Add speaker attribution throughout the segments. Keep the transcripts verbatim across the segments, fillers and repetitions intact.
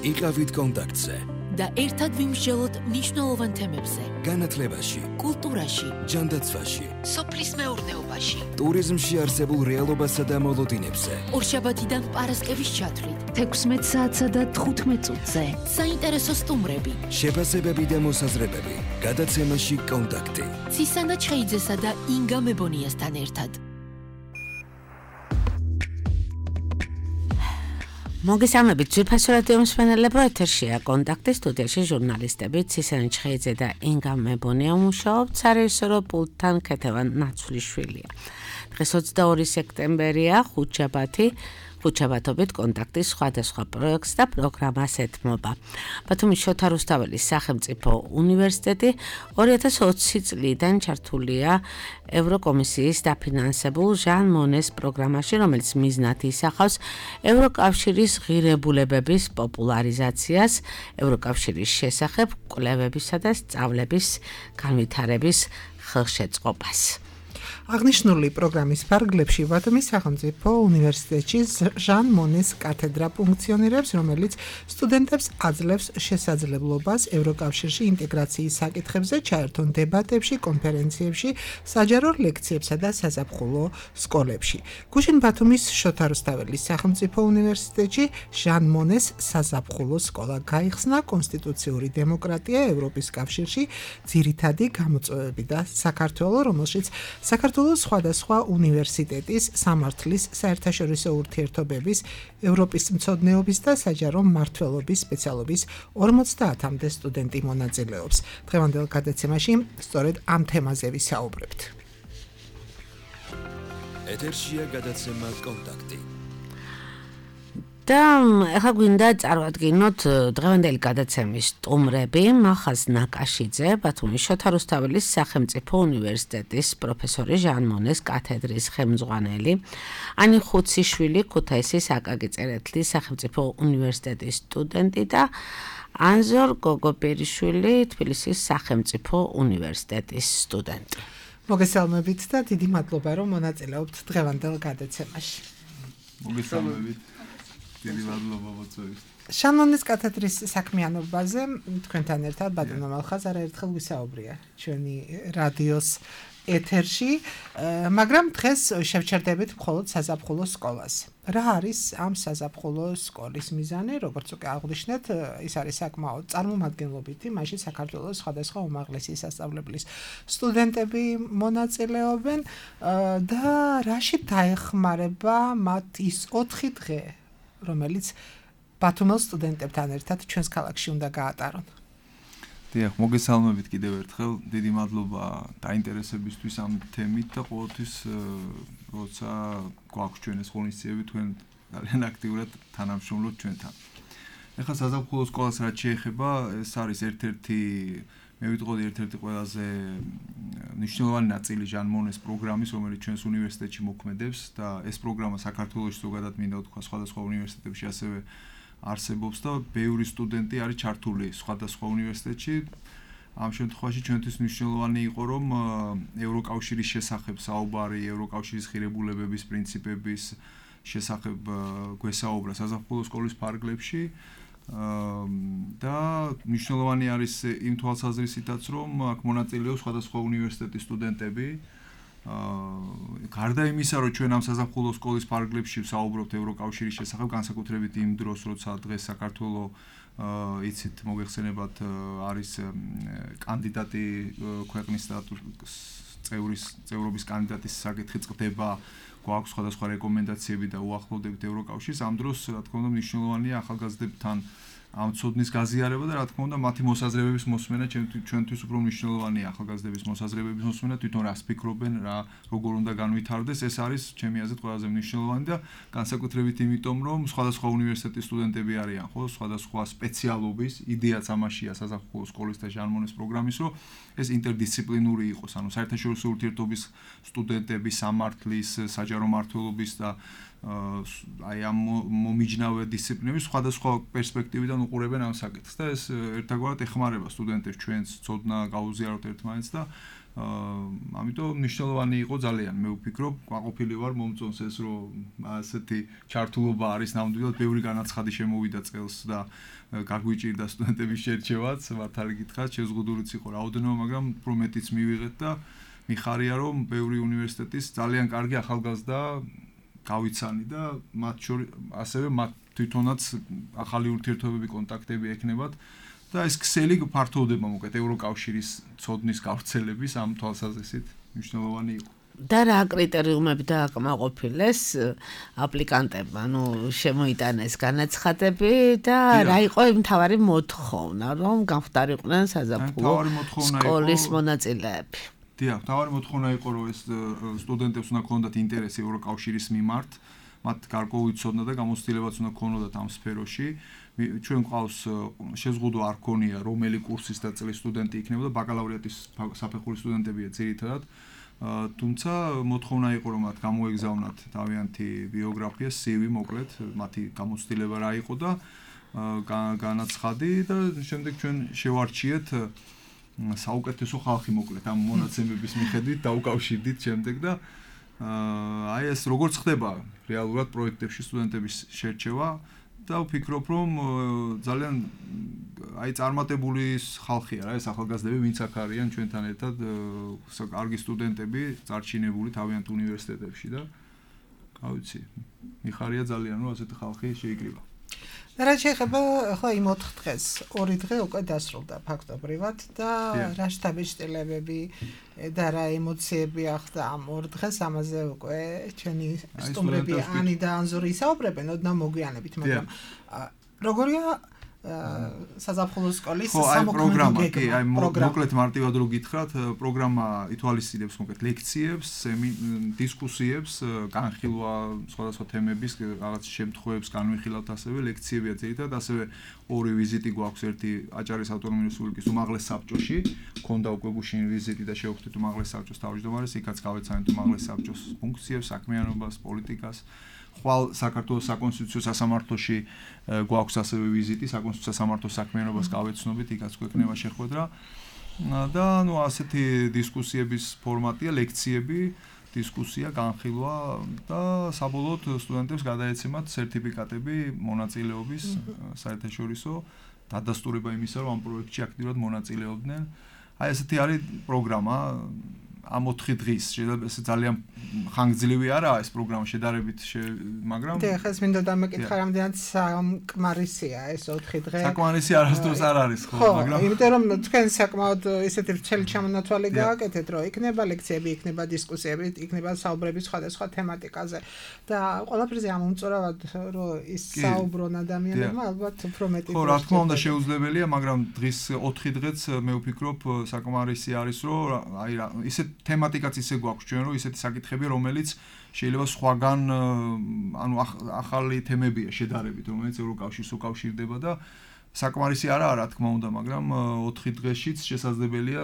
Speaker 1: იყავით კონტაქტზე
Speaker 2: და ერთად ვიმსჯელოთ მნიშვნელოვან თემებზე.
Speaker 1: განათლებაში,
Speaker 2: კულტურაში,
Speaker 1: ჯანდაცვაში,
Speaker 2: სოფლის მეურნეობაში,
Speaker 1: ტურიზმში არსებულ რეალობასა და მოლოდინებზე.
Speaker 2: ორშაბათიდან პარასკევის ჩათვლით, თექვსმეტ საათსა და თხუთმეტ წუთზე. საინტერესო სტუმრები,
Speaker 1: შეფასებები და მოსაზრებები. გადაცემაში კონტაქტი.
Speaker 2: ცისანა ჩხეიძესა და ინგა მებონიასთან ერთად.
Speaker 3: მოგესალმებით, ძვირფასო რადიო მსმენელებო, ეთერშია კონტაქტი, სტუდიაში ჟურნალისტები ცისანა ჩხეიძე და ინგა მებონია მუშაობთ, სარეჟისორო პულტთან ქეთევან ნაცვლიშვილია. დღეს ოცდაორი სექტემბერია, ხუთშაბათი, ხუთშაბათობით კონტაქტის სხვადასხვა პროექტს და პროგრამას ეთმობა. ბათუმის შოთა რუსთაველის სახელმწიფო უნივერსიტეტი ორი ათას ოცი წლიდან ჩართულია ევროკომისიის დაფინანსებულ ჟან მონეს პროგრამაში, რომელიც მიზნად ისახავს ევროკავშირის ღირებულებების პოპულარიზაციას, ევროკავშირის შესახებ კვლევებისა და სწავლების განვითარების ხელშეწყობას.
Speaker 4: აღნიშნული პროგრამის ფარგლებში ბათუმის სახელმწიფო უნივერსიტეტში ჟან მონეს კათედრა ფუნქციონირებს, რომელიც სტუდენტებს აძლევს შესაძლებლობას ევროკავშირში ინტეგრაციის საკითხებზე ჩაერთონ დებატებში, კონფერენციებში, საჯარო ლექციებსა და საზაფხულო სკოლებში. გუშინ ბათუმის შოთა რუსთაველის სახელმწიფო უნივერსიტეტში ჟან მონეს საზაფხულო სკოლა გაიხსნა. კონსტიტუციური დემოკრატია ევროპის კავშირში ძირითადი გამოწვევები და საქართველო, რომელშიც საქართველოს სხვადასხვა უნივერსიტეტის, სამართლის, საერთაშორისო ურთიერთობების, ევროპის მცოდნეობის და საჯარო მმართველობის სპეციალობის ორმოცდაათამდე სტუდენტი მონაწილეობს. დღევანდელ გადაცემაში სწორედ ამ თემაზე ვისაუბრებთ.
Speaker 1: ეთერშია გადაცემა კონტაქტი.
Speaker 3: და ახლა გვინდა წარვადგინოთ დღევანდელი გადაცემის სტუმრები. მახაზ ნაკაშიძე, ბათუმის შოთა რუსთაველის სახელმწიფო უნივერსიტეტის პროფესორი, ჟან მონეს კათედრის ხელმძღვანელი, ანი ხუციშვილი, ქუთაისის აკაკი წერეთლის სახელმწიფო უნივერსიტეტის სტუდენტი და ანზორ გოგობერიშვილი, თბილისის სახელმწიფო უნივერსიტეტის სტუდენტი.
Speaker 4: მოგესალმებით და დიდი მადლობა, რომ მონაწილეობთ დღევანდელ გადაცემაში.
Speaker 5: მოგესალმებით. დიდი მადლობა მოწვევით.
Speaker 4: ჟან მონეს კათედრის საქმიანობაზე თქვენთან ერთად ბატონო მალხაზ არაერთხელ ვისაუბრია ჩვენი რადიოს ეთერში, მაგრამ დღეს შევჩერდებით მხოლოდ საზაფხულო სკოლას. რა არის ამ საზაფხულო სკოლის მიზანი? როგორც უკვე აღვნიშნეთ, ის არის საკმაოდ წარმომადგენლობითი, მაშინ საქართველოს სხვადასხვა უმაღლესი სასწავლებლის სტუდენტები მონაწილეობენ და რაში დაეხმარება მათ ის ოთხი დღე, რომელიც ბათუმელ სტუდენტებთან ერთად ჩვენს ქალაქში უნდა გაატარონ.
Speaker 5: დიახ, მოგესალმებით კიდევ ერთხელ. დიდი მადლობა დაინტერესებისთვის ამ თემით და ყოველთვის როცა გვაქვს ჩვენ ეს ღონისძიებები, თქვენ ძალიან აქტიურად თანამშრომლობთ ჩვენთან. ეხლა საზაფხულო სკოლას რაც შეეხება, ეს არის ერთ-ერთი, მე ვიტყოდი ერთ-ერთი ყველაზე მნიშვნელოვანი ნაწილი ჟან მონეს პროგრამის, რომელიც ჩვენს უნივერსიტეტში მოქმედებს და ეს პროგრამა საქართველოში ზოგადად მინდა ვთქვა სხვადასხვა უნივერსიტეტებში ასევე არსებობს და ბევრი სტუდენტი არის ჩართული სხვადასხვა უნივერსიტეტში. ამ შემთხვევაში ჩვენთვის მნიშვნელოვანი იყო, რომ ევროკავშირის შესახებ საუბარი, ევროკავშირის ღირებულებების პრინციპების შესახებ გვესაუბრა საზაფხულო სკოლის ფარგლებში. და მნიშვნელოვანი არის იმ თვალსაზრისითაც, რომ აქ მონაწილეობს სხვადასხვა უნივერსიტეტის სტუდენტები. გარდა იმისა, რომ ჩვენ ამ საზაფხულო სკოლის ფარგლებში ვსაუბრობთ ევროკავშირის შესახებ, განსაკუთრებით იმ დროს, როცა დღეს საქართველო იცით, მოგეხსენებათ, არის კანდიდატი ქვეყნის წევრის წევრობის კანდიდატის საკითხი წყდება, გვაქვს სხვადასხვა რეკომენდაციები და უახლოვდებით ევროკავშირს. ამ დროს, რა თქმა უნდა, მნიშვნელოვანია ახალგაზრდებთან ამ ცოდნის გაზიარება და რა თქმა უნდა მათი მოსაზრებების მოსმენა ჩვენთვის უფრო მნიშვნელოვანია ახალგაზრდების მოსაზრებების მოსმენა, თვითონ რას ფიქრობენ, რა როგორ უნდა განვითარდეს, ეს არის ჩემი აზრით ყველაზე მნიშვნელოვანი და განსაკუთრებით იმიტომ, რომ სხვადასხვა უნივერსიტეტის სტუდენტები არიან, ხო, სხვადასხვა სპეციალობის, იდეაც ამაშია საზაფხულო სკოლის და ჟან მონეს პროგრამის, რომ ეს ინტერდისციპლინური იყოს, ანუ საერთაშორისო ურთიერთობის სტუდენტები, სამართლის, საჯარო მმართველობის და აი ამ მომიჯნავე დისციპლინების სხვადასხვა პერსპექტივიდან უყურებენ ამ საკითხს და ეს ერთგვარად ეხმარება სტუდენტებს ჩვენს ცოდნა გაუზიაროთ ერთმანეთს და აა ამიტომ მნიშვნელოვანი იყო ძალიან მე ვფიქრობ ყოფილი ვარ მომწონს ეს რომ ასეთი ჩართულობა არის ნამდვილად ბევრი განაცხადი შემოვიდა წელს და გაგვიჭირდა სტუდენტების შერჩევაც მართალი გითხრათ შეზღუდულიც იყო რაოდენობა მაგრამ უფრო მეტიც მივიღეთ და მიხარია რომ ბევრი უნივერსიტეტის ძალიან კარგი ახალგაზრდა გავიცანი და მათ შორის ასევე მათ თვითონაც ახალი ურთიერთობები კონტაქტები ექნებათ და ეს ქსელი ფართოვდება მოკეთ ევროკავშირის ცოდნის გავრცელების ამ თვალსაზრისით მნიშვნელოვანი იყო.
Speaker 3: და რა კრიტერიუმები დააკმაყოფილეს აპლიკანტებმა, ანუ შემოიტანეს განაცხადები და რა იყო მთავარი მოთხოვნა, რომ გამხდარიყვნენ საზაფხულო სკოლის მონაწილეები.
Speaker 5: დიახ, მთავარი მოთხოვნა იყო, რომ ეს სტუდენტებს უნდა ქონდათ ინტერესი ევროკავშირის მიმართ, მათ გარკვეული ცოდნა და გამოცდილებაც უნდა ქონოდათ ამ სფეროში. ჩვენ ყავს შეზღუდვა არ ქონია, რომელი კურსის და წლის სტუდენტი იქნებოდა, ბაკალავრიატის საფეხურის სტუდენტებია ძირითადად. თუმცა მოთხოვნა იყო, რომ მათ გამოეგზავნათ თავიანთი ბიოგრაფია, სი ვი მოკლედ, მათი გამოცდილება რა იყო და განაცხადი და შემდეგ ჩვენ შევარჩიეთ საუკეთესო ხალხი მოკლედ ამ მონაცემების მიხედვით დაუკავშირდით შემდეგ და აი ეს როგორც ხდება რეალურად პროექტებში სტუდენტების შერჩევა და ვფიქრობ რომ ძალიან აი წარმატებული ხალხია რა ეს ახალგაზრდები ვინც აქ არიან ჩვენთან ერთად კარგი სტუდენტები წარჩინებული თავიანთ უნივერსიტეტებში და რა ვიცი მიხარია ძალიან რომ ასეთი ხალხი შეიკრიბა
Speaker 4: რა შეიძლება ხო იმ ოთხ დღეს ორი დღე უკვე დასრულდა ფაქტობრივად და რა შთაბეჭდილებები და რა ემოციები ახდა ამ ორ დღეს ამაზე უკვე ჩვენი სტუმრები ანი და ანზორი ისაუბრებენ ოდნავ მოგვიანებით მაგრამ როგორია საზაფხულო სკოლის
Speaker 5: სამოქმედო კი აი მოკლედ მარტივად რო გითხრათ პროგრამა ითვალისწინებს მოკლედ ლექციებს, დისკუსიებს, განხილვა სხვადასხვა თემების რაღაც შემთხვევებს განვიხილავთ ასევე ლექციებია ძირითადად ასევე ორი ვიზიტი გვაქვს ერთი აჭარის ავტონომიური რესპუბლიკის უმაღლეს საბჭოში ქონდა უკვე გუშინ ვიზიტი და შევხვდით უმაღლეს საბჭოს თავმჯდომარეს იქაც გავეცანით უმაღლეს საბჭოს ფუნქციებს, საქმიანობას, პოლიტიკას ხვალ საქართველოს საკონსტიტუციო სასამართლოში გვაქვს ასევე ვიზიტი საკონსტიტუციო სასამართლოს საქმიანობას გავეცნობით იქაც გვექნება შეხვედრა და ნუ ასეთი დისკუსიების ფორმატია ლექციები დისკუსია განხილვა და საბოლოოდ სტუდენტებს გადაეცემათ სერტიფიკატები მონაწილეობის საერთაშორისო დადასტურება იმისა რომ ამ პროექტში აქტიურად მონაწილეობდნენ აი ესეთი არის პროგრამა ამ ოთხი დღის შეიძლება ეს ძალიან ხანგრძლივი არაა ეს პროგრამა შედარებით მაგრამ
Speaker 4: და ხეს მინდა დამეკითხა რამდენად საკმარისია ეს ოთხი დღე
Speaker 5: საკმარისი არასდროს არ არის ხო
Speaker 4: მაგრამ იმიტომ რომ თქვენ საკმაოდ ისეთი ვრცელი ჩამონათვალი გააკეთეთ რომ იქნება ლექციები იქნება დისკუსიები იქნება საუბრები სხვადასხვა თემატიკაზე და ყველაფერზე ამომწურავად რომ ის საუბრონ ადამიანებმა ალბათ უფრო მეტი
Speaker 5: ხო რა თქმა უნდა შეუძლებელია მაგრამ დღის ოთხი დღეც მე ვფიქრობ საკმარისი არის რომ აი ისე თემატიკაც ისე გვაქვს ჩვენ რომ ისეთი საკითხები რომელიც შეიძლება სხვაგან ანუ ახალი თემებია შედარებით რომელიც ევროკავშირს უკავშირდება და საკმარისი არაა რა თქმა უნდა მაგრამ ოთხი დღეშიც შესაძლებელია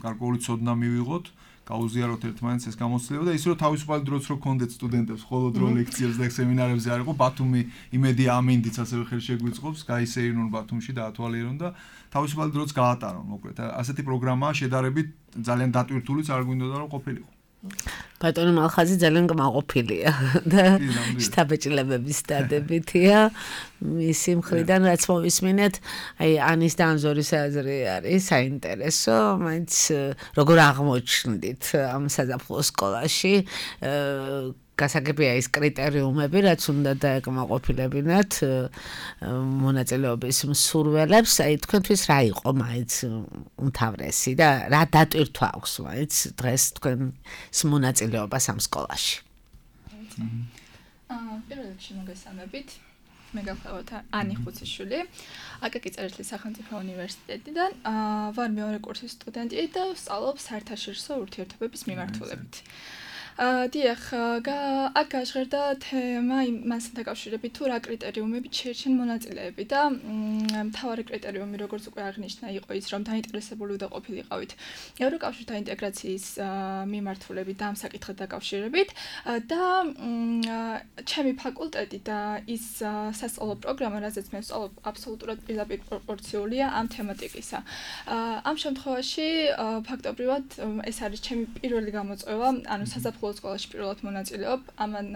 Speaker 5: გარკვეული ცოდნა მივიღოთ გაუზიაროთ ერთმანეთს ეს გამოცდილება და ის რომ თავისუფალი დროც რო გქონდეთ სტუდენტებს მხოლოდ რო ლექციებს და სემინარებზე არ იყო ბათუმი იმედი ამინდიც ასევე ხელშეგვიწყობს გაისეირნონ ბათუმში დაათვალიერონ და თავისუფალი დროც გაატარონ მოკლედ ასეთი პროგრამაა შედარებით ძალიან დატვირთულიც არ გვინდოდა რომ ყოფილიყო
Speaker 3: ბატონო მალხაზი ძალიან კმაყოფილია და შთაბეჭდილებების დადებითია მისი მხრიდან რაც მოვისმინეთ აი ანის და ანზორის აზრი არის საინტერესო მაინც როგორ აღმოჩნდით ამ საზაფხულო სკოლაში გასაგებია ის კრიტერიუმები რაც უნდა დაეკმაყოფილებინათ მონაწილეობის მსურველებს აი თქვენთვის რა იყო მაინც უმთავრესი და რა დატვირთვა აქვს მაინც დღეს თქვენს მონაწილეობას ამ სკოლაში
Speaker 6: აა პირველ რიგში მოგესალმებით მე გახლავთ ანი ხუციშვილი აკაკი წერეთლის სახელმწიფო უნივერსიტეტიდან ვარ მეორე კურსის სტუდენტი და ვსწავლობ საერთაშორისო ურთიერთობების მიმართულებით დიახ, აქ გაჟღერდა თემა იმასთან დაკავშირებით, თუ რა კრიტერიუმებით შეირჩენ მონაწილეები და მთავარი კრიტერიუმი, როგორც უკვე აღნიშნა, იყო ის, რომ დაინტერესებული უნდა ყოფილიყავით ევროკავშირთან ინტეგრაციის მიმართულებით და ამ საკითხთან დაკავშირებით და ჩემი ფაკულტეტი და ის სასწავლო პროგრამა, რასაც მე ვსწავლობ, აბსოლუტურად პირდაპირ პროპორციულია ამ თემატიკისა. ამ შემთხვევაში ფაქტობრივად ეს არის ჩემი პირველი გამოწვევა, ანუ საზაფხულო სკოლაში პირველად მონაწილეობ, ამან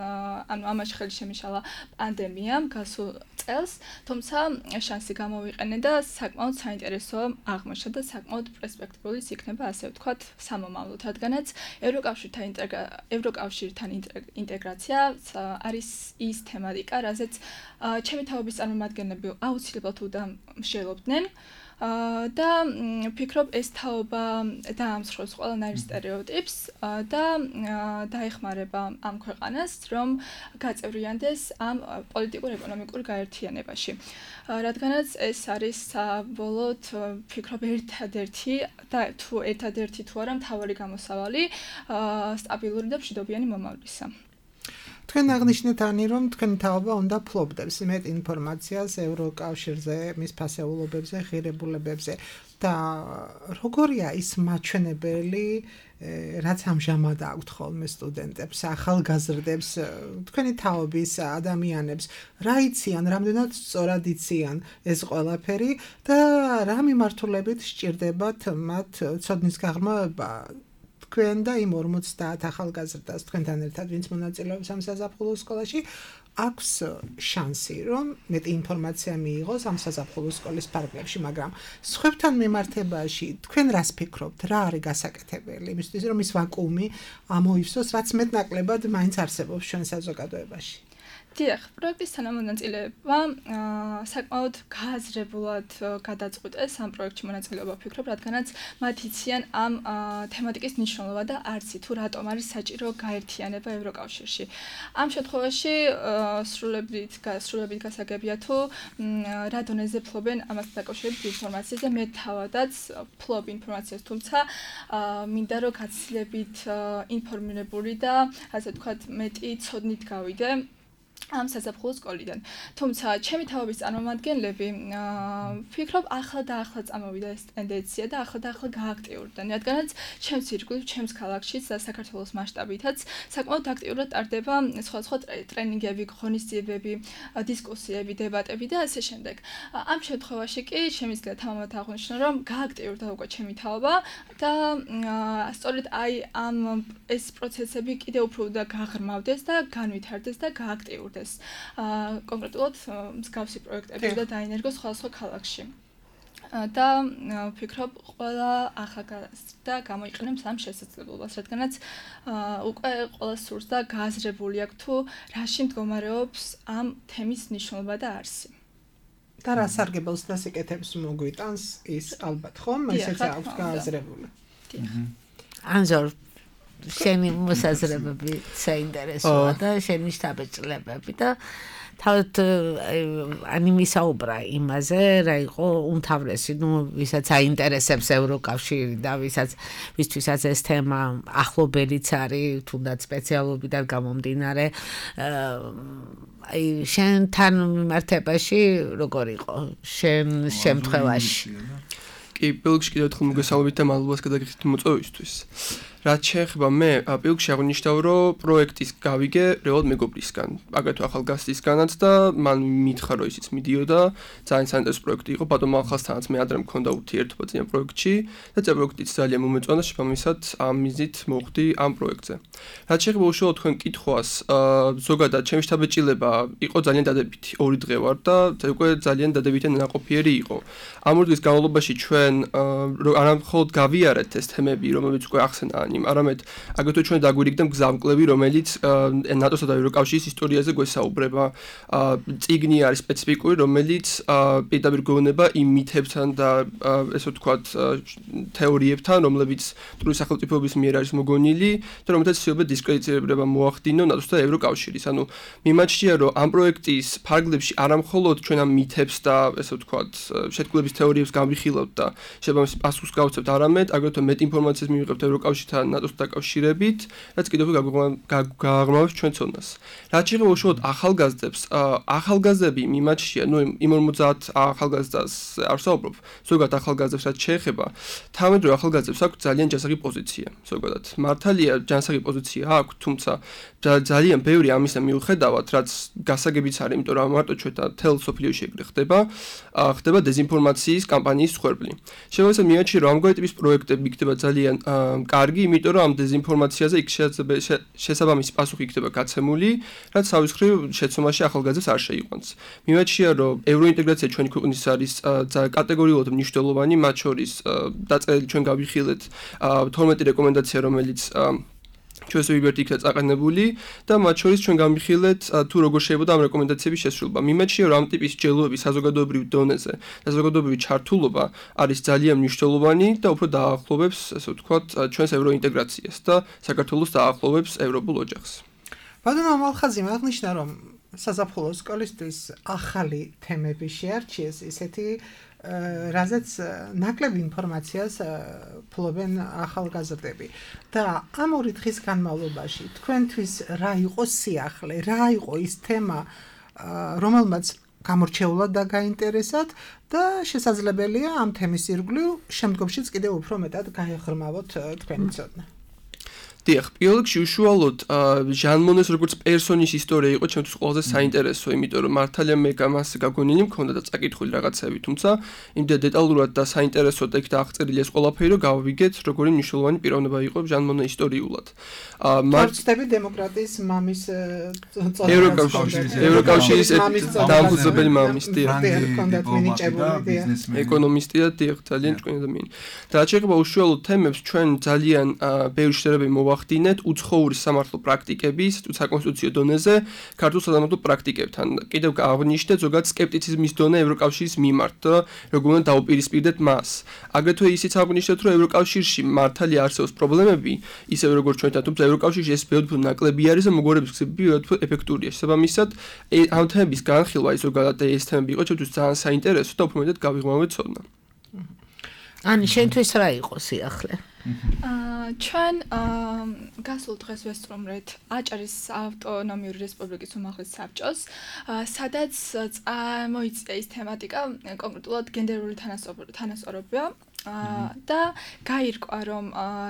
Speaker 6: ანუ ამაში ხელი შემიშალა პანდემიამ გასულ წელს, თუმცა შანსი გამოვიყენე და საკმაოდ საინტერესო აღმოჩნდა და საკმაოდ პერსპექტიული იქნება, ასე ვთქვათ, სამომავლოდ, რადგანაც ევროკავშირთან ევროკავშირთან ინტეგრაცია არის ის თემატიკა, რაზეც ჩემი თაობის წარმომადგენლები აუცილებლად უნდა მსჯელობდნენ. და ვფიქრობ ეს თაობა დაამსხვრევს ყველანაირ სტერეოტიპს და დაეხმარება ამ ქვეყანას, რომ გაწევრიანდეს ამ პოლიტიკურ-ეკონომიკურ გაერთიანებაში. რადგანაც ეს არის საბოლოოდ ვფიქრობ ერთადერთი და თუ ერთადერთი თუ არა მთავარი გამოსავალი სტაბილური და მშვიდობიანი მომავლისა.
Speaker 4: თქვენ აღნიშნეთ ანი, რომ თქვენი თაობა უნდა ფლობდებს იმედ ინფორმაციას ევროკავშირზე, მის ფასეულობებზე, ღირებულებებზე და როგორია ის მაჩვენებელი, რაც ამჟამად აქვთ ხოლმე სტუდენტებს, ახალგაზრდებს, თქვენი თაობის ადამიანებს, რა იციან, რამდენად სწორად იციან ეს ყველაფერი და რა მიმართულებით სჭირდებათ მათ ცოდნის გაღრმავება თქვენ და იმ ორმოცდაათ ახალგაზრდას თქვენთან ერთად, ვინც მონაწილეობს ამ საზაფხულო სკოლაში, აქვს შანსი, რომ მეტი ინფორმაცია მიიღოს ამ საზაფხულო სკოლის ფარგლებში, მაგრამ სხვებთან მიმართებაში თქვენ რას ფიქრობთ, რა არის გასაკეთებელი, იმისთვის რომ ის ვაკუუმი ამოივსოს, რაც მეტნაკლებად მაინც არსებობს ჩვენ საზოგადოებაში.
Speaker 6: დიახ, პროექტის თანამონაწილეება საკმაოდ გააზრებულად გადაწყვიტეს ამ პროექტში მონაწილეობა ვფიქრობ, რადგანაც მათ იციან ამ თემატიკის მნიშვნელობა და არცი თუ რატომ არის საჭირო გაერთიანება ევროკავშირში. ამ შემთხვევაში სრულებით სრულებით გასაგებია თუ რა დონეზე ფლობენ ამასთან დაკავშირებით ინფორმაციას და მე თავადაც ფლობ ინფორმაციას, თუმცა მინდა რომ გაცილებით ინფორმირებული და ასე ვთქვათ მეტი ცოდნით გავიდე ამ საზაფხულო სკოლიდან. თუმცა ჩემი თაობის წარმომადგენლები ვფიქრობ ახლა და ახლა წამოვიდა ეს ტენდენცია და ახლა და ახლა გააქტიურდნენ, რადგანაც ჩემს ირგვლივ, ჩემს ქალაქშიც და საქართველოს მასშტაბითაც საკმაოდ აქტიურად ტარდება სხვადასხვა ტრენინგები, ღონისძიებები, დისკუსიები, დებატები და ასე შემდეგ. ამ შემთხვევაში კი შემიძლია თამამად აღვნიშნო, რომ გააქტიურდა უკვე ჩემი თაობა და სწორედ აი ამ ეს პროცესები კიდევ უფრო და გაღრმავდეს და განვითარდეს და გააქტიურდეს. კონკრეტულად მსგავსი პროექტები და დაინერგოს სხვადასხვა ქალაქში. და ვფიქრობ, ყველა ახალგაზრდა გამოიყენებს ამ შესაძლებლობას, რადგანაც უკვე ყველა სურს და გააზრებული აქვს თუ რაში მდგომარეობს ამ თემის მნიშვნელობა და არსი.
Speaker 4: და რა სარგებელს და სიკეთებს მოგვიტანს ის ალბათ ხომ, ესეც აქვს გააზრებული.
Speaker 3: ანზორ შენი მოსაზრებები საინტერესოა და შენი შთაბეჭდილებები და თავად ani მისაუბრა იმაზე, რა იყო უმთავრესი, ну, ვისაც აინტერესებს ევროკავშირი და ვისაც ვისთვისაც ეს თემა ახლობელიც არის, თუნდაც სპეციალობიდან გამომდინარე, აი შენთან მიმართებაში როგორ იყო შენ შემთხვევაში?
Speaker 7: კი, პირველში კიდევ ერთხელ მოგესალმებით და მადლობას გადაგიხდით მოწვევისთვის. რაც შეეხება მე, პირველში აღნიშნავ, რომ პროექტის გავიგე რეალურად მეგობრისგან, აგრეთვე ახალგაზრდისგანაც და მან მითხრა, რომ ისიც მიდიოდა, ძალიან საინტერესო პროექტი იყო, ბატონო ახალსთანაც მე ადრე მქონდა ურთიერთობა წინა პროექტში და წინა პროექტიც ძალიან მომეწონა, შესაბამისად ამ მიზნით მოხვდი ამ პროექტზე. რაც შეეხება უშუალოდ თქვენ კითხვას, ზოგადად ჩემი შთაბეჭდილება იყო ძალიან დადებითი, ორი დღე ვარ და უკვე ძალიან დადებითი ნაყოფიერი იყო. ამ ორი დღის განმავლობაში ჩვენ არა მხოლოდ გავიარეთ ეს თემები, რომლებიც უკვე ახსენა ანიმ, არამედ აგრეთვე ჩვენ დაგვირიგდა მგზავრკლები, რომელიც ნატოსა და ევროკავშირის ისტორიაზე გვესაუბრება. წიგნი არის სპეციფიკური, რომელიც პირდაპირ გვეუბნება იმ მითებთან და ესე ვთქვათ თეორიებთან, რომლებიც ტურის სახელმწიფოების მიერ არის მოგონილი და რომელთაც შეიძლება დისკრედიტირება მოახდინო ნატოს და ევროკავშირის. ანუ მიმაჩნია, რომ ამ პროექტის ფარგლებში არა მხოლოდ ჩვენ ამ მითებს და ესე ვთქვათ შეთქმულების თეორიებს გავიხილავთ და შესაბამის პასუხს გავცემთ, არამედ აგრეთვე მეტ ინფორმაციას მივიღებთ ევროკავშირთან და ნატოს დაკავშირებით, რაც კიდევ გააღრმავებს ჩვენ ცოდნას. რაც შეეხება უშუალოდ ახალგაზრდებს, ახალგაზრდები მიმაჩნია, ნუ იმ ორმოცდაათ ახალგაზრდას არ ვსაუბრობ, ზოგადად ახალგაზრდებს რაც შეეხება, თავმედროვე ახალგაზრდებს აქვს ძალიან ჯანსაღი პოზიცია, ზოგადად. მართალია ჯანსაღი პოზიცია აქვს, თუმცა ძალიან ბევრი ამისა მიუხედავად, რაც გასაგებიც არის, იმიტომ რომ მარტო ჩვენ თელ სოფლიოში ეგრე ხდება, ხდება დეზინფორმაციის კამპანიის მსხვერპლი. შემოვიწყეთ მიაჩნია რომ ამგვარი ტიპის პროექტები იქნება ძალიან კარგი, იმიტომ რომ ამ დეზინფორმაციაზე იქ შესაბამისი პასუხი იქნება გაცემული, რაც თავის მხრივ შეცდომაში ახალგაზრდებს არ შეიყვანს. მიმაჩნია რომ ევროინტეგრაცია ჩვენი ქვეყნის არის კატეგორიულად მნიშვნელოვანი, მათ შორის დაწერილი ჩვენ გავიხილეთ თორმეტი რეკომენდაცია, რომელიც ჩვენს ვიბერტი იქნა წაყენებული და მათ შორის ჩვენ გამიხილეთ თუ როგორ შეიძლება ამ რეკომენდაციების შესრულება. მიმაჩნია რომ ამ ტიპის ჯელოების საზოგადოებრივ დონეზე და საზოგადოებრივი ჩართულობა არის ძალიან მნიშვნელოვანი და უფრო დაახლოვებს, ასე ვთქვათ, ჩვენს ევროინტეგრაციას და საქართველოს დაახლოვებს ევროპულ ოჯახს.
Speaker 4: ბატონო მალხაზიმ აღნიშნა რომ საზაფხულო სკოლისთვის ახალი თემები შეარჩიეს, ისეთი რაზეც ნაკლები ინფორმაციას ფლობენ ახალგაზრდები და ამ ორი დღის განმავლობაში თქვენთვის რა იყო სიახლე, რა იყო ის თემა, რომელმაც გამორჩეულად და გაინტერესათ და შესაძლებელია ამ თემის ირგვლივ შემდგომშიც კიდევ უფრო მეტად გაეღრმავოთ თქვენი ცოდნა.
Speaker 7: დიახ, პირველში უშუალოდ ჟან მონეს როგორც პერსონის ისტორია იყო ჩემთვის ყველაზე საინტერესო, იმიტომ რომ მართალია მე გამას გაგონილი მქონდა და წაკითხული რაღაცები, თუმცა იმდენ დეტალურად და საინტერესოდ იქ დააღწევილი ეს ყველაფერი, რომ გავიგეთ, როგორი მნიშვნელოვანი პიროვნება იყო ჟან მონე ისტორიულად.
Speaker 4: მარქსტები დემოკრატიის მამის
Speaker 7: წოდება. ევროკავშირის ევროკავშირის დამფუძნებელი მამის ეკონომისტი და დიახ, ძალიან ჭკვიანი ადამიანი. და რაც შეეხება უშუალოდ თემებს, ჩვენ ძალიან ბევრი შედარებები მოვახდინეთ უცხოური სამართლო პრაქტიკების, საკონსტიტუციო დონეზე, ქართულ სასამართლო პრაქტიკებთან. კიდევ აღნიშნეთ ზოგადად სკეპტიციზმის დონე ევროკავშირის მიმართ და როგორ უნდა დაუპირისპირდეთ მას. აგრეთვე ისიც აღნიშნეთ, რომ ევროკავშირში მართალია არსებობს პრობლემები, ისევე როგორც ჩვენთან, თუმცა ევროკავშირში ეს ბევრად ნაკლები არის და მოგვარების გზები ბევრად ეფექტურია. შესაბამისად, ამ თემების განხილვა ის ზოგადად ეს თემები იყო ჩვენთვის ძალიან საინტერესო და უფრო მეტად გავიღმავეთ ცოდნა.
Speaker 3: ანი, შენთვის რა იყო სიახლე?
Speaker 6: აა ჩვენ გასულ დღეს ვესწრომრეთ აჭარის ავტონომიური რესპუბლიკის უმაღლეს საბჭოს, სადაც მოიწია ის თემატიკა, კონკრეტულად გენდერული თანასწორობა და გაირკვა რომ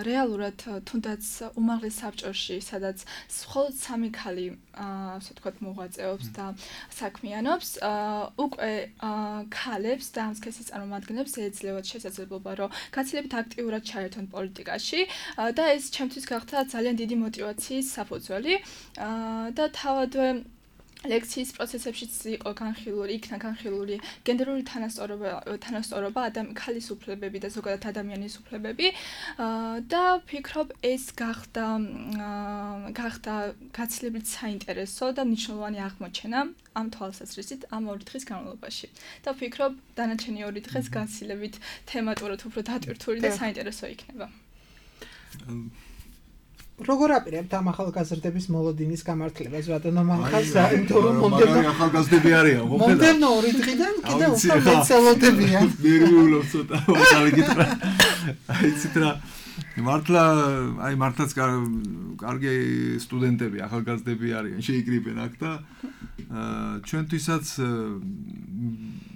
Speaker 6: რეალურად თუნდაც უმაღლეს საბჭოში, სადაც მხოლოდ სამი ქალი, ასე ვთქვათ, მოღვაწეობს და საქმიანობს, უკვე ქალებს და ამ სქესის წარმომადგენლებს ეძლევათ შესაძლებლობა, რომ გაცილებით აქტიურად ჩაერთონ პოლიტიკაში და ეს ჩემთვის გახდა ძალიან დიდი მოტივაციის საფუძველი და თავადვე ლექციის პროცესებშიც იყო განხილული, იქნა განხილული გენდერული თანასწორობა, თანასწორობა, ქალის უფლებები და ზოგადად ადამიანის უფლებები და ვფიქრობ ეს გახდა გახდა გაცილებით საინტერესო და მნიშვნელოვანი აღმოჩენა ამ თვალსაზრისით ამ ორი დღის განმავლობაში. და ვფიქრობ დანარჩენი ორი დღეს გაცილებით თემატურად უფრო დატვირთული და საინტერესო იქნება.
Speaker 4: როგორ აპირებთ ამ ახალგაზრდების მოლოდინის გამართლებას, ბატონო მალხაზა, იმიტომ რომ მომდევნო
Speaker 5: ახალგაზრდები არიან, ხო?
Speaker 4: მომდევნო ორი დღიდან კიდევ უფრო მეცელოდებიან.
Speaker 5: ნერვიულობ ცოტა, გავიკითხა. აი ცით რა მართლა, აი მართლაც კარგი სტუდენტები, ახალგაზრდები არიან, შეიკრიბენ აქ და ჩვენთვისაც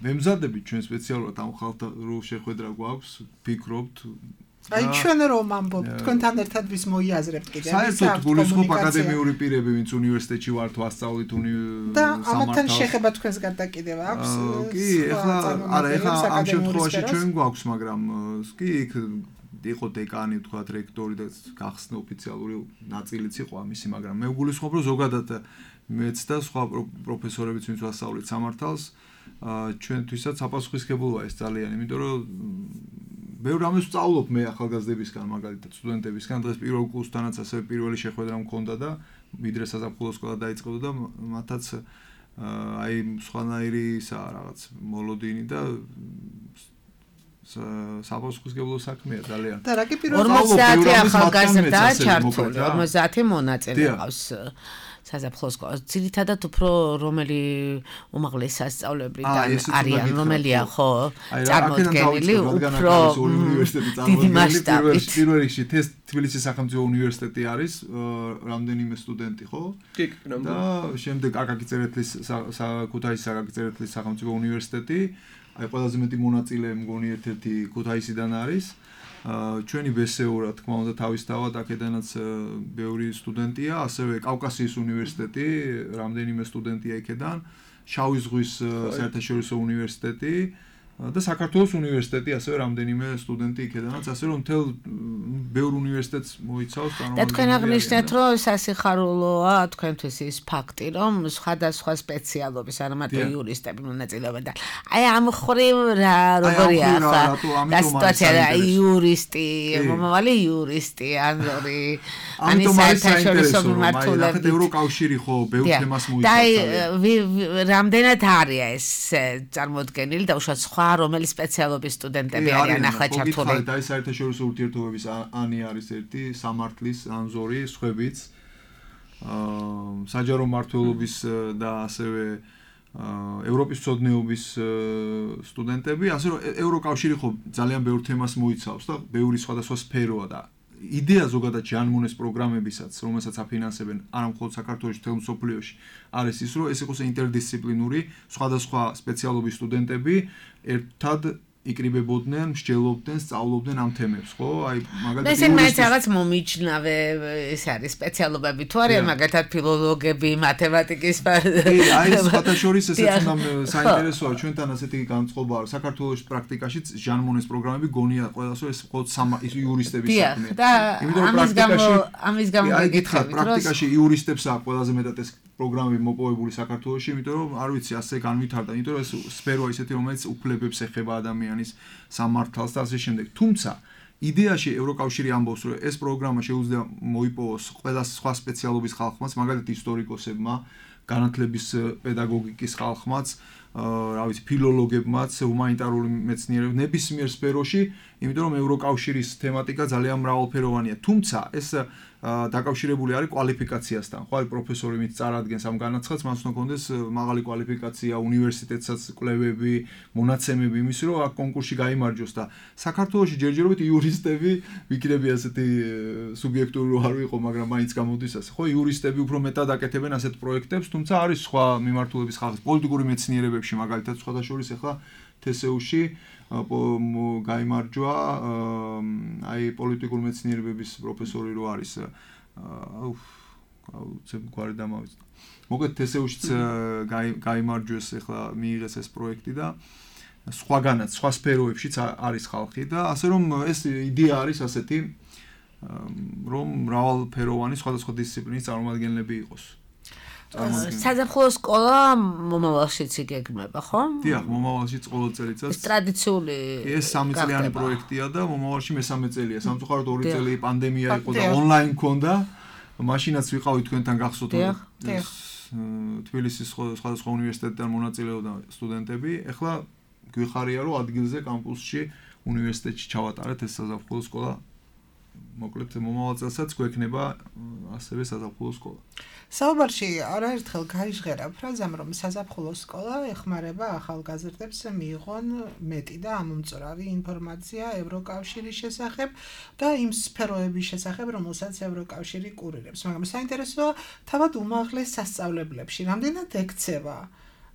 Speaker 5: მემზადებით ჩვენ სპეციალურად ამ ხალხთან რო შეხვედრა გვაქვს, ფიქრობთ
Speaker 4: აი ჩვენ რომ ამბობთ, თქვენთან ერთად ვის მოიაზრებთ კიდევ?
Speaker 5: საერთოდ გულისხმობ აკადემიური პირები, ვინც უნივერსიტეტში ვართ, ვასწავლით
Speaker 4: სამართალს. და ამათთან შეხება თქვენს გარდა კიდევ აქვს?
Speaker 5: კი, ეხლა არა, ეხლა ამ შემთხვევაში ჩვენ გვაქვს, მაგრამ კი, იქ იყო დეკანი, თქვათ, რექტორი და გახსნა ოფიციალური ნაწილიც იყო ამისი, მაგრამ მე გულისხმობ, რომ ზოგადად მეც და სხვა პროფესორებიც ვინც ვასწავლით სამართალს, ჩვენთვისაც საპასუხისმგებლოა ეს ძალიან, იმიტომ რომ ბევრ რამეს ვსწავლობ მე ახალგაზრდებისგან, მაგალითად სტუდენტებისგან, დღეს პირველ კურსთანაც ასევე პირველი შეხვედრა მქონდა და ვიდრე საზაფხულო სკოლა დაიწყებოდა და მათაც აი სხვანაირი ისა რაღაც მოლოდინი და საპასუხისმგებლო საქმეა ძალიან.
Speaker 3: და რა კი პირველ ორმოცდაათი ახალგაზრდაა ჩართული, ორმოცდაათი მონაწილე ყავს საზაფხულო სკოლას. ძირითადად უფრო რომელი უმაღლეს სასწავლებლიდან არიან, რომელია ხო წარმოდგენილი უფრო დიდი მასშტაბით.
Speaker 5: პირველ რიგში თბილისის სახელმწიფო უნივერსიტეტი არის, რამდენიმე სტუდენტი, ხო?
Speaker 7: კი,
Speaker 5: და შემდეგ აკაკი წერეთლის ქუთაისის აკაკი წერეთლის სახელმწიფო უნივერსიტეტი, აი ყველაზე მეტი მონაწილე მგონი ერთ-ერთი ქუთაისიდან არის. ჩვენი ბესეო რა თქმა უნდა თავისთავად აქედანაც ბევრი სტუდენტია, ასევე კავკასიის უნივერსიტეტი, რამდენიმე სტუდენტია იქედან, შავი ზღვის საერთაშორისო უნივერსიტეტი და საქართველოს უნივერსიტეტი ასევე რამდენიმე სტუდენტი იქედანაც, ასე რომ მთელ ბევრ უნივერსიტეტს მოიცავს
Speaker 3: წარმომადგენლები. და თქვენ აღნიშნეთ, რომ სასიხარულოა თქვენთვის ის ფაქტი, რომ სხვადასხვა სპეციალობის არა მარტო იურისტები მონაწილეობენ და აი ამ ხრივ რა როგორია ახლა და სიტუაცია რა იურისტი, მომავალი იურისტი, ან ორი
Speaker 5: ამის საერთაშორისო მიმართულებით. აი, ევროკავშირი ხო ბევრ თემას მოიცავს.
Speaker 3: და რამდენად არის ეს წარმოდგენილი და უშუალოდ სხვა რომელი სპეციალობის სტუდენტები არიან ახლა ჩართული?
Speaker 5: და ეს საერთაშორისო ურთიერთობების ანი არის ერთი, სამართლის, ანზორი, სხვებიც. აა საჯარო მმართველობის და ასევე ევროპის მცოდნეობის სტუდენტები, ასე რომ ევროკავშირი ხო ძალიან ბევრ თემას მოიცავს და ბევრი სხვადასხვა სფეროა და იდეა ზოგადად ჟანმონეს პროგრამებისაც, რომელსაც აფინანსებენ არა მხოლოდ საქართველოში, მთელ მსოფლიოში, არის ის, რომ ეს იყოს ინტერდისციპლინური, სხვადასხვა სპეციალობის სტუდენტები ერთად იკრიბებოდნენ, მსჯელობდნენ, სწავლობდნენ ამ თემებს, ხო? აი,
Speaker 3: მაგალითად, ესენ მაინც რაღაც მომიჯნავე ეს არის სპეციალობები თუ არიან, მაგალითად, ფილოლოგები, მათემატიკის
Speaker 5: კი, აი, სხვათა შორის ესეც უნდა საინტერესოა, ჩვენთან ასეთი განწყობა არის. საქართველოს პრაქტიკაშიც ჟანმონეს პროგრამები გონია ყველასო ეს მხოლოდ იურისტების საქმეა.
Speaker 3: და ამის გამო ამის გამო
Speaker 5: გეკითხავთ, პრაქტიკაში იურისტებს აქვს ყველაზე მეტად ეს პროგრამები მოპოვებული საქართველოში, იმიტომ რომ არ ვიცი, ასე განვითარდა, იმიტომ რომ ეს სფეროა ისეთი, რომელიც უფლებებს ეხება ადამიანის სამართალს და ასე შემდეგ. თუმცა იდეაში ევროკავშირი ამბობს, რომ ეს პროგრამა შეუძლია მოიპოვოს ყველა სხვა სპეციალობის ხალხმაც, მაგალითად ისტორიკოსებმა, განათლების პედაგოგიკის ხალხმაც, რა ვიცი, ფილოლოგებმაც, ჰუმანიტარული მეცნიერებმა, ნებისმიერ სფეროში, იმიტომ რომ ევროკავშირის თემატიკა ძალიან მრავალფეროვანია. თუმცა ეს დაკავშირებული არის კვალიფიკაციასთან. ხო, აი პროფესორი მით წარადგენს ამ განაცხადს, მას უნდა კონდეს მაღალი კვალიფიკაცია, უნივერსიტეტსაც კვლევები, მონაცემები იმის, რომ აქ კონკურსში გაიმარჯვოს და საქართველოში ჯერჯერობით იურისტები ვიქნები ასეთი სუბიექტური რო არ ვიყო, მაგრამ მაინც გამოდის ასე. ხო, იურისტები უფრო მეტად აკეთებენ ასეთ პროექტებს, თუმცა არის სხვა მიმართულების ხალხი, პოლიტიკური მეცნიერებებში, მაგალითად, სხვათა შორის ახლა თესეუში გაიმარჯვა აი პოლიტიკურ მეცნიერებების პროფესორი რო არის აუ აუცებ გვარი დამავიწყდა. მოკლედ თესეუშიც გაიმარჯვეს ახლა მიიღეს ეს პროექტი და სხვაგანაც სხვა სფეროებშიც არის ხალხი და ასე რომ ეს იდეა არის ასეთი რომ მრავალფეროვანი სხვადასხვა დისციპლინის წარმომადგენლები იყოს.
Speaker 3: საზაფხულო სკოლა მომავალშიც იგეგმება, ხო?
Speaker 5: დიახ, მომავალშიც ყოველ წელიწადს.
Speaker 3: ტრადიციული
Speaker 5: ეს სამი წლიანი პროექტია და მომავალში მესამე წელია. სამწუხაროდ ორი წელი პანდემია იყო და ონლაინ ქონდა. მაშინაც ვიყავი თქვენთან გახსოვთ. თბილისის სხვადასხვა უნივერსიტეტიდან მონაწილეობდა სტუდენტები. ეხლა გვიხარია, რომ ადგილზე კამპუსში უნივერსიტეტში ჩავატარეთ ეს საზაფხულო სკოლა. მოკლედ მომავალ წელსაც გვექნება ასევე საზაფხულო სკოლა.
Speaker 4: საუბარში არაერთხელ გაიჟღერა ფრაზამ, რომ საზაფხულო სკოლა ეხმარება ახალგაზრდებს მიიღონ მეტი და ამომწორავი ინფორმაცია ევროკავშირის შესახებ და იმ სფეროების შესახებ, რომელსაც ევროკავშირი კურირებს. მაგრამ საინტერესოა, თავად უმაღლეს სასწავლებლებში რამდენად ექცევა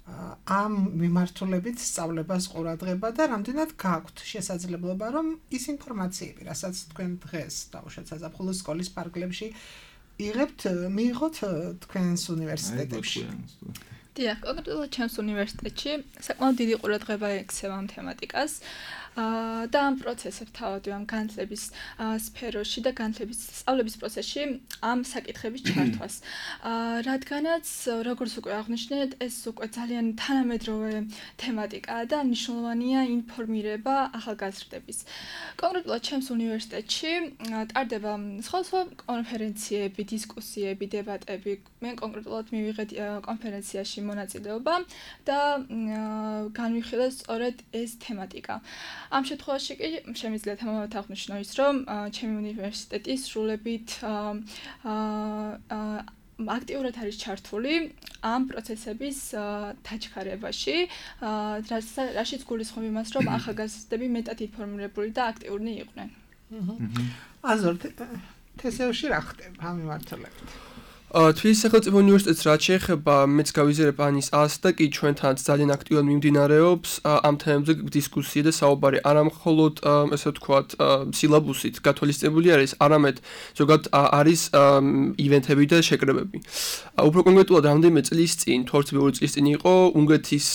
Speaker 4: ამ მიმართულებით სწავლებას ყურადღება და რამდენად გაქვთ შესაძლებლობა, რომ ის ინფორმაციები, რასაც თქვენ დღეს დაუშვათ საზაფხულო სკოლის პარკლებში იღებთ, მიიღოთ თქვენს უნივერსიტეტებში.
Speaker 6: დიახ, კონკრეტულად ჩემს უნივერსიტეტში საკმაოდ დიდი ყურადღება ექცევა ამ თემატიკას. და ამ პროცესებს თავად ამ განათლების სფეროში და განათლების სწავლების პროცესში ამ საკითხების ჩართვას. რადგანაც როგორც უკვე აღნიშნეთ, ეს უკვე ძალიან თანამედროვე თემატიკაა და მნიშვნელოვანია ინფორმირება ახალგაზრდების. კონკრეტულად ჩემს უნივერსიტეტში ტარდება სხვადასხვა კონფერენციები, დისკუსიები, დებატები. მე კონკრეტულად მივიღეთ კონფერენციაში მონაწილეობა და განვიხილე სწორედ ეს თემატიკა. ამ შემთხვევაში კი შემიძლია თამამად აღნიშნო ის, რომ ჩემი უნივერსიტეტი სრულებით აქტიურად არის ჩართული ამ პროცესების დაჩქარებაში, რაშიც გულისხმობ იმას, რომ ახალგაზრდები მეტად ინფორმირებული და აქტიურნი იყვნენ.
Speaker 4: აზორ თესეუში რა ხდება ამ მიმართულებით?
Speaker 7: თბილისის სახელმწიფო უნივერსიტეტს რაც შეეხება მეც გავიზიარებ ანის ას და კი ჩვენთანაც ძალიან აქტიურად მიმდინარეობს ამ თემებზე დისკუსია და საუბარი არა მხოლოდ ესე ვთქვათ სილაბუსით გათვალისწინებული არის, არამედ ზოგადად არის ივენთები და შეკრებები. უფრო კონკრეტულად რამდენიმე წლის წინ, თორემ ორი წლის წინ იყო უნგრეთის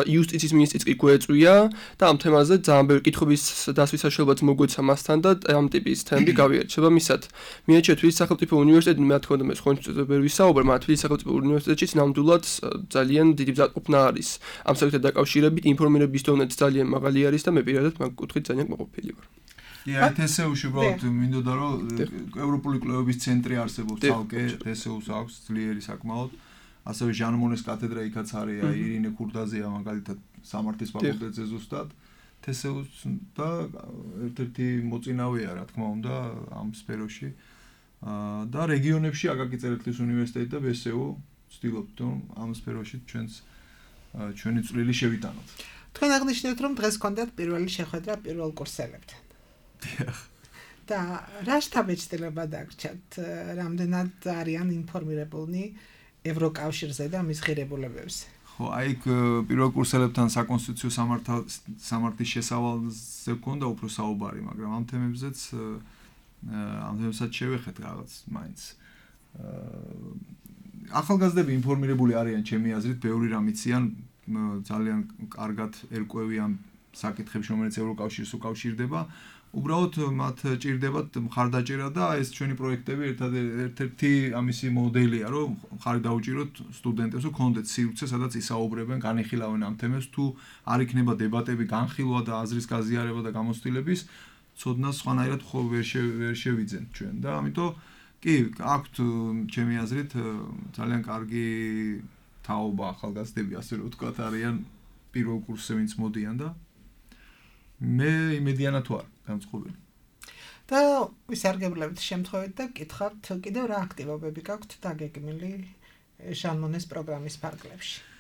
Speaker 7: იუსტიციის მინისტრიც კი გვეწვია და ამ თემაზე ძალიან ბევრი კითხვის დასვის საშუალებაც მოგვეცა მასთან და ამ ტიპის თემები გავიარეთ. შესაბამისად, მიაჩნია თბილისის სახელმწიფო უნივერსიტეტი, მე თქმა უნდა მე სხვა ვერ ვისაუბრ, მაგრამ თბილისის სახელმწიფო უნივერსიტეტშიც ნამდვილად ძალიან დიდი მზადყოფნა არის. ამ საკითხთან დაკავშირებით ინფორმირების დონეც ძალიან მაღალი არის და მე პირადად მაგ კუთხით ძალიან მოყოფილი ვარ.
Speaker 5: ია თესეუში უბრალოდ მინდოდა რომ ევროპული კვლევების ცენტრი არსებობს თალკე, თესეუს აქვს ძლიერი საკმაოდ. ასევე ჟან მონეს კათედრა იქაც არის, აი ირინე ქურდაზეა მაგალითად სამართლის ფაკულტეტზე ზუსტად. თესეუს და ერთ-ერთი მოწინავეა რა თქმა უნდა ამ სფეროში. და რეგიონებში აკაკი წერეთლის უნივერსიტეტი და ბსუ ვცდილობთ რომ ამ სფეროში ჩვენს ჩვენი წვლილი შევიტანოთ.
Speaker 4: თქვენ აღნიშნეთ რომ დღეს გქონდათ პირველი შეხვედრა პირველ კურსელებთან.
Speaker 5: დიახ.
Speaker 4: და რა შთაბეჭდილება დაგრჩათ, რამდენად არიან ინფორმირებულნი ევროკავშირზე და მის ღირებულებებზე?
Speaker 5: ხო, აი პირველ კურსელებთან საკონსტიტუციო სამართლის შესავალზე გქონდა უფრო საუბარი, მაგრამ ამ თემებზეც ამ თემებსაც შევეხეთ რაღაც მაინც. ახალგაზრდები ინფორმირებული არიან ჩემი აზრით, ბევრი რამ იციან, ძალიან კარგად ერკვევიან საკითხებში, რომელიც ევროკავშირს უკავშირდება. უბრალოდ მათ ჭირდებათ მხარდაჭერა და ეს ჩვენი პროექტები ერთ-ერთი ამისი მოდელია, რომ მხარი დაუჭიროთ სტუდენტებს, რომ კონდეთ სივრცე, სადაც ისაუბრებენ, განიხილავენ ამ თემებს, თუ არ იქნება დებატები, განხილვა და აზრის გაზიარება და გამოცდილების ცოდნას სხვანაირად ხო ვერ შევიძენ ჩვენ და ამიტომ კი აქვთ ჩემი აზრით ძალიან კარგი თაობა ახალგაზრდები ასე რომ ვთქვათ არიან პირველ კურსზე ვინც მოდიან და მე იმედიანად ვარ განწყობილი.
Speaker 4: და ვისარგებლებით შემთხვევით და გითხავთ კიდევ რა აქტივობები გაქვთ დაგეგმილი ჟან მონეს პროგრამის ფარგლებში?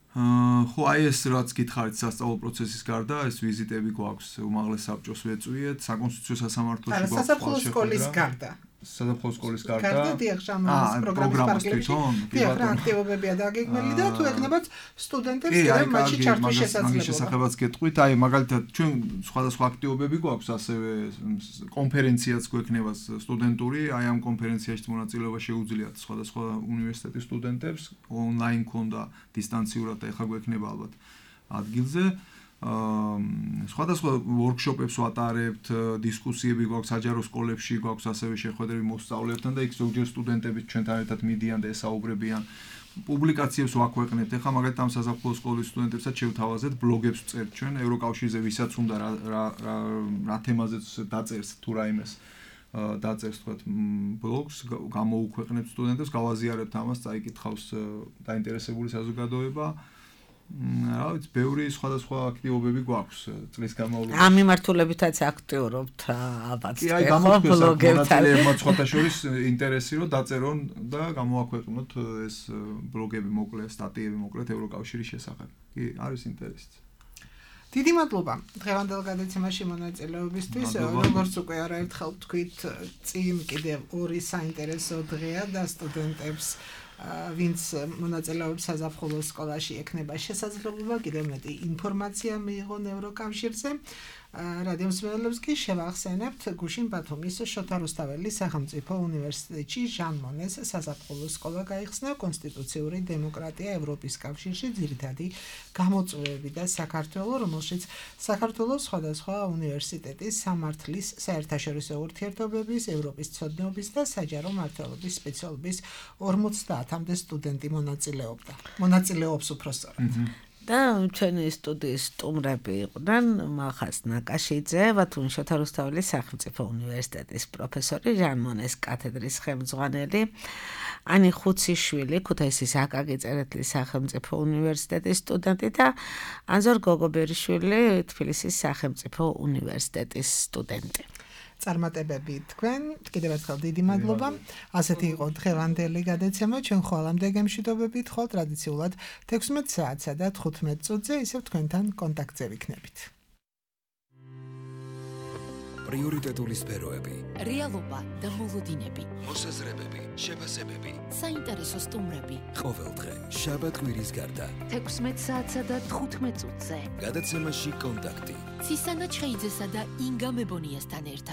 Speaker 5: ხო აი ეს რაც გითხარით სასწავლო პროცესის გარდა ეს ვიზიტები გვაქვს უმაღლეს საბჭოს ვეწვიეთ საკონსტიტუციო სასამართლოში
Speaker 4: გვაქვს სასაფლაო სკოლის გარდა
Speaker 5: სასაფლაო სკოლის გარდა
Speaker 4: გარდა დიახ ჟან მონეს პროგრამის ფარგლებში დიახ რა აქტივობებია დაგეგმილი და თუ ეკნებათ სტუდენტებს კიდევ მათში ჩართვის შესაძლებლობა
Speaker 5: მაგის შესახებაც გეტყვით აი მაგალითად ჩვენ სხვადასხვა აქტივობები გვაქვს ასევე კონფერენციაც გვექნება სტუდენტური აი ამ კონფერენციაში მონაწილეობა შეუძლიათ სხვადასხვა უნივერსიტეტის სტუდენტებს ონლაინ ქონდა დისტანციურად და ეხლა გვექნება ალბათ ადგილზე სხვადასხვა ვორქშოპებს ვატარებთ, დისკუსიები გვაქვს საჯარო სკოლებში, გვაქვს ასევე შეხვედრები მოსწავლეებთან და იქ ზოგჯერ სტუდენტები ჩვენთან ერთად მიდიან და ესაუბრებიან. პუბლიკაციებს ვაქვეყნებთ. ეხლა მაგალითად ამ საზაფხულო სკოლის სტუდენტებსაც შევთავაზეთ, ბლოგებს წერთ ჩვენ ევროკავშირზე, ვისაც უნდა რა რა რა თემაზეც დაწერს თუ რაიმეს დაწერს თქვათ ბლოგს, გამოუქვეყნებთ სტუდენტებს, გავაზიარებთ ამას, წაიკითხავს დაინტერესებული საზოგადოება. რა ვიცი, ბევრი სხვადასხვა აქტივობები გვაქვს წლის განმავლობაში.
Speaker 3: ამ მიმართულებითაც აქტიურობთ ალბათ.
Speaker 5: კი, აი გამოგვეცეს სხვათა შორის ინტერესი რომ დაწერონ და გამოაქვეყნოთ ეს ბლოგები მოკლე, სტატიები მოკლედ ევროკავშირის შესახებ. კი, არის ინტერესიც.
Speaker 4: დიდი მადლობა დღევანდელ გადაცემაში მონაწილეობისთვის. როგორც უკვე არაერთხელ ვთქვით, წინ კიდევ ორი საინტერესო დღეა და სტუდენტებს ვინც მონაწილეობს საზაფხულო სკოლაში ექნება შესაძლებლობა კიდევ მეტი ინფორმაცია მიიღონ ევროკავშირზე. რადიო მსმენელებს კი შევახსენებთ გუშინ ბათუმის შოთა რუსთაველის სახელმწიფო უნივერსიტეტში ჟან მონეს საზაფხულო სკოლა გაიხსნა კონსტიტუციური დემოკრატია ევროპის კავშირში ძირითადი გამოწვევები და საქართველო, რომელშიც საქართველოს სხვადასხვა უნივერსიტეტის სამართლის საერთაშორისო ურთიერთობების, ევროპის ცოდნობის და საჯარო მმართველობის სპეციალობის ორმოცდაათამდე სტუდენტი მონაწილეობდა. მონაწილეობს უпростоრად.
Speaker 3: და ჩვენი სტუდიის სტუმრები იყვნენ მახას ნაკაშიძე, ბათუმის შოთა რუსთაველის სახელმწიფო უნივერსიტეტის პროფესორი, ჟან მონეს კათედრის ხელმძღვანელი, ანი ხუციშვილი, ქუთაისის აკაკი წერეთლის სახელმწიფო უნივერსიტეტის სტუდენტი და ანზორ გოგობერიშვილი, თბილისის სახელმწიფო უნივერსიტეტის სტუდენტი.
Speaker 4: წარმატებები თქვენ, კიდევ ერთხელ დიდი მადლობა. ასეთი იყო დღევანდელი გადაცემა. ჩვენ ხვალამდე გემშვიდობებით, ხოლ ტრადიციულად თექვსმეტ საათსა და თხუთმეტ წუთზე ისევ თქვენთან კონტაქტზე ვიქნებით.
Speaker 1: პრიორიტეტული სფეროები,
Speaker 2: რეალობა და მოლოდინები,
Speaker 1: მოსაზრებები, შეფასებები,
Speaker 2: საინტერესო სტუმრები.
Speaker 1: ყოველდღე, შაბათ-კვირის გარდა.
Speaker 2: თექვსმეტ საათსა და თხუთმეტ წუთზე.
Speaker 1: გადაცემაში კონტაქტი.
Speaker 2: ცისანა ჩხეიძესა და ინგა მებონიასთან ერთად.